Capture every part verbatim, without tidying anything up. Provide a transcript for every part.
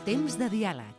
Temps de diàleg.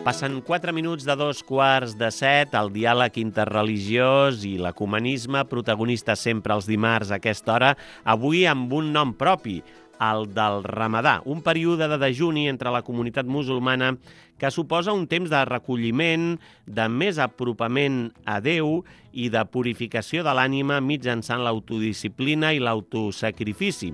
Passen quatre minuts de dos quarts de set, el diàleg interreligiós i l'ecumenisme, protagonistes sempre els dimarts a aquesta hora, avui amb un nom propi, el del Ramadà, un període de dejuni entre la comunitat musulmana que suposa un temps de recolliment, de més apropament a Déu i de purificació de l'ànima mitjançant l'autodisciplina i l'autosacrifici.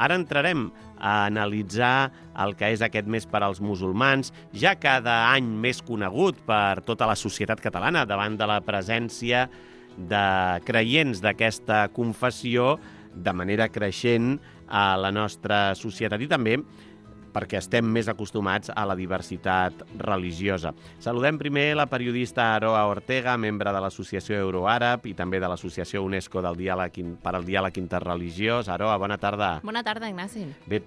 Ara entrarem a analitzar el que és aquest mes per als musulmans, ja cada any més conegut per tota la societat catalana davant de la presència de creients d'aquesta confessió de manera creixent a la nostra societat i també perquè estem més acostumats a la diversitat religiosa. Saludem primer la periodista Aroa Ortega, membre de l'Associació Euroàrab i també de l'Associació UNESCO del diàleg per al diàleg interreligiós. Aroa, bona tarda. Bona tarda, Ignasi. Bé,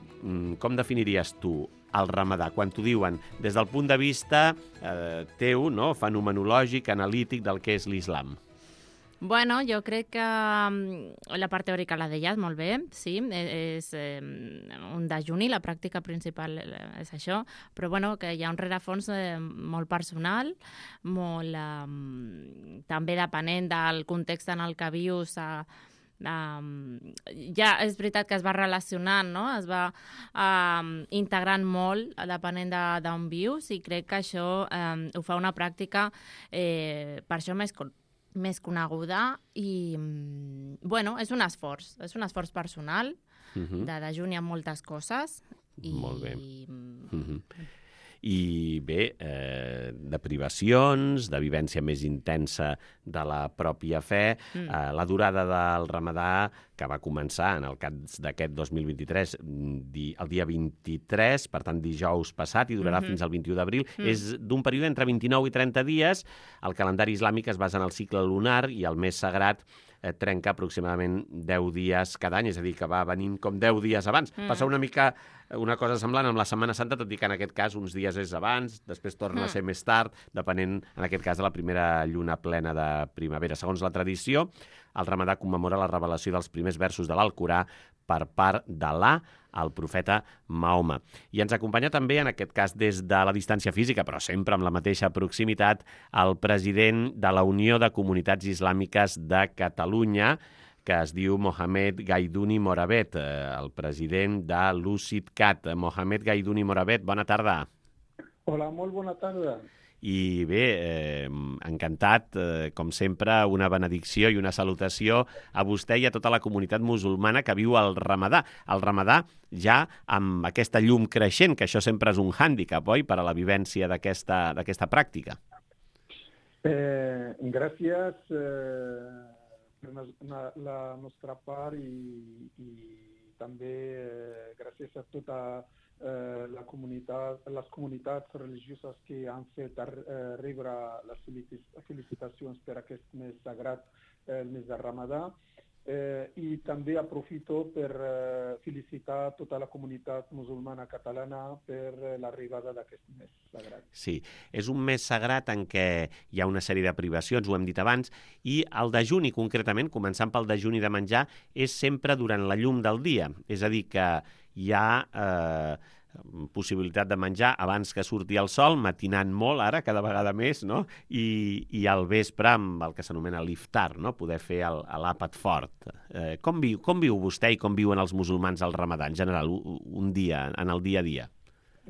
com definiries tu el Ramadà, quan t'ho diuen des del punt de vista eh, teu, no? Fenomenològic, analític del que és l'islam? Bueno, jo crec que la part teòrica la deies molt bé, sí, és eh, un dejuni, la pràctica principal és això, però bueno, que hi ha un rerefons eh, molt personal, molt eh, també depenent del context en el que vius, eh, Um, ja és veritat que es va relacionant, no? Es va um, integrant molt depenent d'on vius i crec que això um, ho fa una pràctica eh, per això més, més coneguda i bueno, és un esforç, és un esforç personal uh-huh. de dejuni amb moltes coses. I... Molt bé. Uh-huh. I bé, eh, de privacions, de vivència més intensa de la pròpia fe, mm. eh, la durada del Ramadà, que va començar en el cas d'aquest dos mil vint-i-tres, di, el dia vint-i-tres, per tant dijous passat, i durarà mm-hmm. fins al vint-i-u d'abril, mm. és d'un període entre vint-i-nou i trenta dies. El calendari islàmic es basa en el cicle lunar i el mes sagrat eh, trenca aproximadament deu dies cada any, és a dir, que va venint com deu dies abans. Mm. Passa una mica una cosa semblant amb la Setmana Santa, tot i que en aquest cas uns dies és abans, després torna mm. a ser més tard, depenent, en aquest cas, de la primera lluna plena de primavera. Segons la tradició, el Ramadà commemora la revelació dels primers versos de l'Alcorà per part d'Al·là al profeta Mahoma. I ens acompanya també, en aquest cas, des de la distància física, però sempre amb la mateixa proximitat, el president de la Unió de Comunitats Islàmiques de Catalunya, que es diu Mohamed Gaiduni Moravet, el president de l'UCIDCAT. Mohamed Gaiduni Moravet, bona tarda. Hola, molt bona tarda. I bé, eh, encantat, eh, com sempre, una benedicció i una salutació a vostè i a tota la comunitat musulmana que viu el Ramadà. El Ramadà ja amb aquesta llum creixent, que això sempre és un hàndicap, oi?, per a la vivència d'aquesta d'aquesta pràctica. Eh, gràcies eh, per la, la nostra part i, i també eh, gràcies a tota Eh, la comunitat, les comunitats religioses que han fet eh, rebre les felicitacions per aquest mes sagrat, eh, el mes de Ramadà. Eh, I també aprofito per eh, felicitar tota la comunitat musulmana catalana per eh, l'arribada d'aquest mes sagrat. Sí, és un mes sagrat en què hi ha una sèrie de privacions, ho hem dit abans, i el dejuni concretament, començant pel dejuni de menjar, és sempre durant la llum del dia. És a dir, que hi ha eh, possibilitat de menjar abans que surti el sol, matinant molt ara, cada vegada més, no? I, i al vespre amb el que s'anomena l'iftar, no? Poder fer l'àpat fort. Eh, com, viu, com viu vostè i com viuen els musulmans al Ramadà, en general, un dia, en el dia a dia?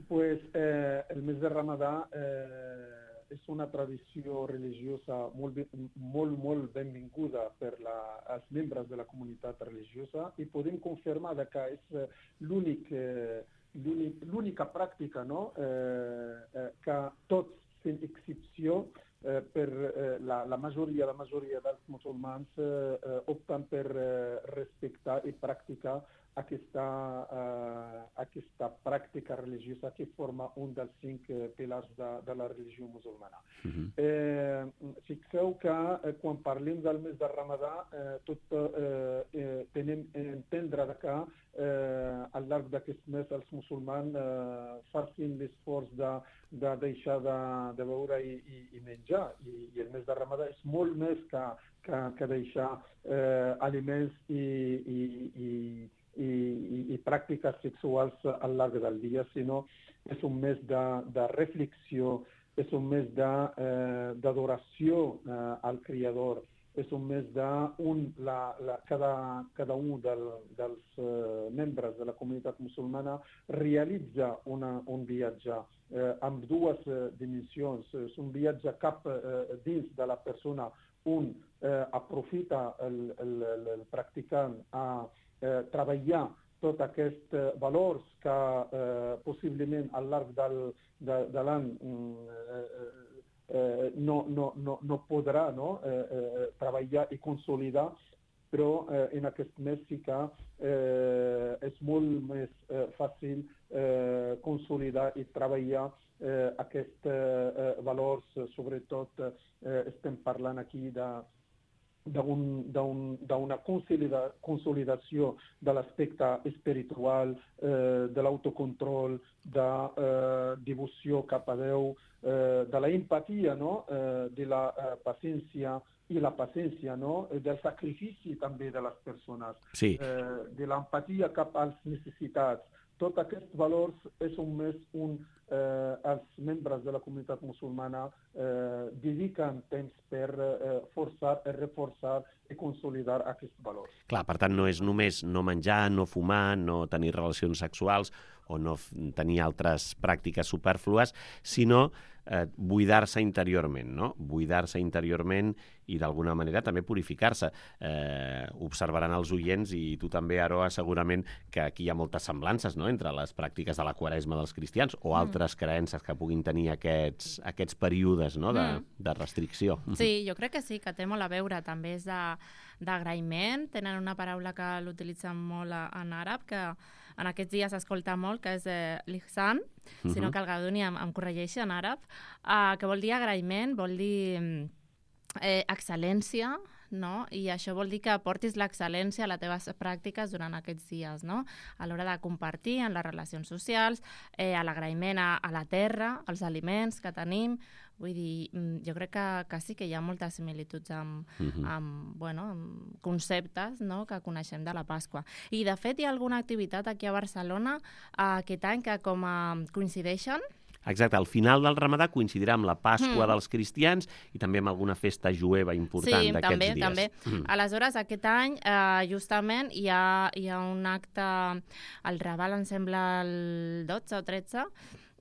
Pues eh, el mes de Ramadà eh, és una tradició religiosa molt, molt, molt benvinguda per la, els membres de la comunitat religiosa i podem confirmar que és l'únic eh, l'única pràctica, no? eh, eh, que tots, sense excepció, eh, per eh, la, la majoria la majoria dels musulmans eh, opten per eh, respectar i practicar aquesta, uh, aquesta pràctica religiosa que forma un dels cinc uh, pilars de, de la religió musulmana. Uh-huh. eh, fixeu que eh, quan parlem del mes de Ramadà, eh, tot eh, eh, tenim entendre que eh, al llarg d'aquest mes els musulmans eh, facin l'esforç de, de deixar de, de beure i, i, i menjar. I, I el mes de Ramadà és molt més que, que, que deixar eh, aliments i, i, i, i, i, i pràctiques sexuals al llarg del dia, sinó és un mes de, de reflexió, és un mes d'adoració de, eh, al Creador, és un mes de un, la, la, cada, cada un del, dels eh, membres de la comunitat musulmana realitza una, un viatge eh, amb dues eh, dimensions. És un viatge cap eh, dins de la persona. Un eh, aprofita el, el, el, el practicant a eh, treballar tots aquests eh, valors que eh, possiblement al llarg del, de, de l'any eh, eh, no, no, no, no podrà no, eh, eh, treballar i consolidar, però eh, en aquest mes sí que eh, és molt més eh, fàcil eh, consolidar i treballar eh, aquests eh, valors, sobretot eh, estem parlant aquí de d'una consolida, consolidació de l'aspecte espiritual, eh, de l'autocontrol, de eh, devoció cap a Déu, eh, de la empatia, no? eh, de la eh, paciència i la paciència, no? Del sacrifici també de les persones, sí. eh, de l'empatia cap als necessitats. Tots aquests valors és un mes un, eh, els membres de la comunitat musulmana eh, dediquen temps per eh, forçar, reforçar i consolidar aquests valors. Clar, per tant, no és només no menjar, no fumar, no tenir relacions sexuals o no tenir altres pràctiques superflues, sinó eh, buidar-se interiorment, no? Buidar-se interiorment i d'alguna manera també purificar-se. Eh, observaran els oients i tu també, Aroa, segurament que aquí hi ha moltes semblances, no?, entre les pràctiques de la Quaresma dels cristians o mm. altres creences que puguin tenir aquests, aquests períodes, no?, de, mm. de restricció. Sí, jo crec que sí, que té molt a veure. També és d'agraïment. Tenen una paraula que l'utilitzen molt en àrab, que en aquests dies s'escolta molt, que és eh, l'ihsan, uh-huh. sinó que el Gauduni em, em corregeixi en àrab, eh, que vol dir agraïment, vol dir eh, excel·lència, no? I això vol dir que portis l'excel·lència a les teves pràctiques durant aquests dies, no? A l'hora de compartir en les relacions socials, eh, a l'agraïment a, a la terra, als aliments que tenim. Vull dir, jo crec que, que sí que hi ha moltes similituds amb, uh-huh. amb, bueno, amb conceptes, no?, que coneixem de la Pasqua. I, de fet, hi ha alguna activitat aquí a Barcelona eh, aquest any que com a coincideixen. Exacte, al final del Ramadà coincidirà amb la Pasqua mm. dels cristians i també amb alguna festa jueva important sí, d'aquests també, dies. També, també. Mm. Aleshores, aquest any, eh, justament, hi ha, hi ha un acte, el Raval, em sembla, el dotze o tretze,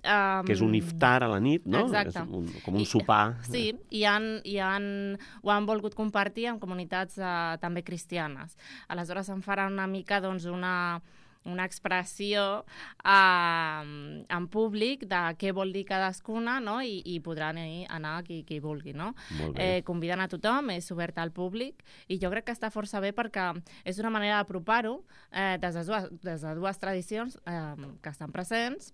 Um, que és un iftar a la nit, no? Exacte. És un, com un sopar. I, sí, i han, i han, ho han volgut compartir amb comunitats uh, també cristianes. Aleshores em farà una mica doncs, una, una expressió uh, en públic de què vol dir cadascuna, no? I, i podran anar qui, qui vulgui, no? Eh, conviden a tothom, és obert al públic i jo crec que està força bé perquè és una manera d'apropar-ho eh, des, de dues, des de dues tradicions eh, que estan presents.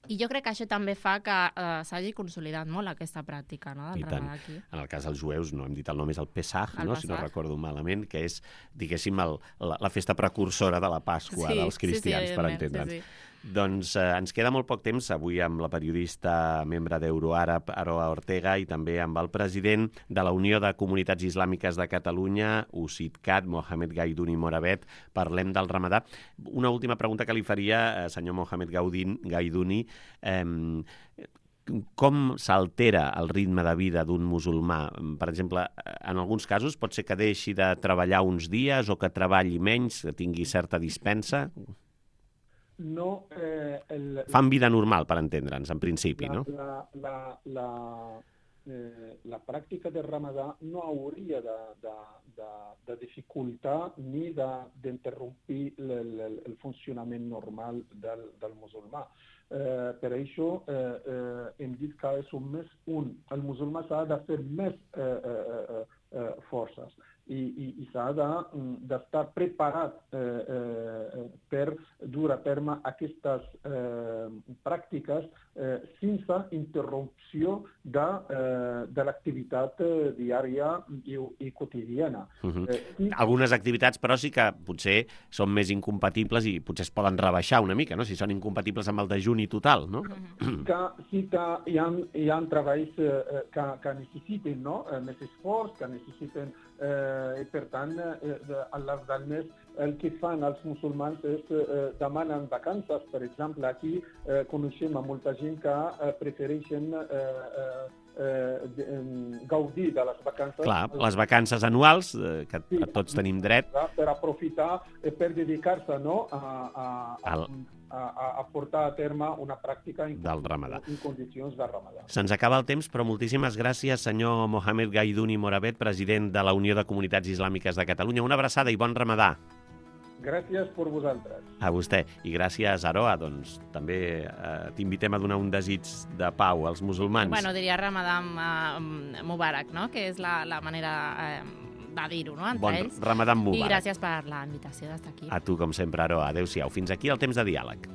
I jo crec que això també fa que eh, s'hagi consolidat molt aquesta pràctica, no?, del Ramadà aquí. En el cas dels jueus, no hem dit el nom, és el Pesach, el no? Si no recordo malament, que és, diguéssim, el, la, la festa precursora de la Pasqua sí, dels cristians, sí, sí, per entendre'ns. Sí, sí. Doncs eh, ens queda molt poc temps avui amb la periodista membre d'Euroàrab, Aroa Ortega, i també amb el president de la Unió de Comunitats Islàmiques de Catalunya, U S I D C A T, Mohamed Gaiduni Moravet. Parlem del Ramadà. Una última pregunta que li faria, eh, senyor Mohamed Gaiduni. Eh, com s'altera el ritme de vida d'un musulmà? Per exemple, en alguns casos pot ser que deixi de treballar uns dies o que treballi menys, que tingui certa dispensa? No, eh, el, Fan vida normal, per entendre'ns, en principi, la, no? La, la, la, eh, la pràctica del Ramadà no hauria de, de, de, de dificultar ni d'interrompir de, el, el, el funcionament normal del, del musulmà. Eh, per això eh, eh, hem dit que és un més un. El musulmà s'ha de fer més eh, eh, eh, forces. i, i, i s'ha d'estar de, preparat eh, eh, per dur a terme aquestes eh, pràctiques eh, sense interrupció de, eh, de l'activitat eh, diària i, i quotidiana. Uh-huh. eh, i... Algunes activitats, però, sí que potser són més incompatibles i potser es poden rebaixar una mica, no? Si són incompatibles amb el dejuni total, no? Sí que, sí que hi ha, hi ha treballs eh, que, que necessiten, no? eh, més esforç, que necessiten, eh, i per tant, eh, al llarg del mes el que fan els musulmans és eh, demanen vacances. Per exemple, aquí eh, coneixem a molta gent que eh, prefereixen eh, eh, eh, de, eh, gaudir de les vacances. Clar, les vacances anuals, eh, que sí, tots tenim dret. Per aprofitar, eh, per dedicar-se, no?, a, a, a, Al... a, a portar a terme una pràctica en, del Ramadà. en condicions de Ramadà. Se'ns acaba el temps, però moltíssimes gràcies, senyor Mohamed Gaidouni Moravet, president de la Unió de Comunitats Islàmiques de Catalunya. Una abraçada i bon Ramadà. Gràcies per vosaltres. A vostè. I gràcies, Aroa. Doncs també eh, t'invitem a donar un desig de pau als musulmans. Bueno, diria Ramadam uh, Mubarak, no?, que és la, la manera eh, de dir-ho, no?, entre bon ells. Ramadam Mubarak. I gràcies per la invitació d'estar aquí. A tu, com sempre, Aroa. Adéu-siau. Fins aquí el temps de diàleg.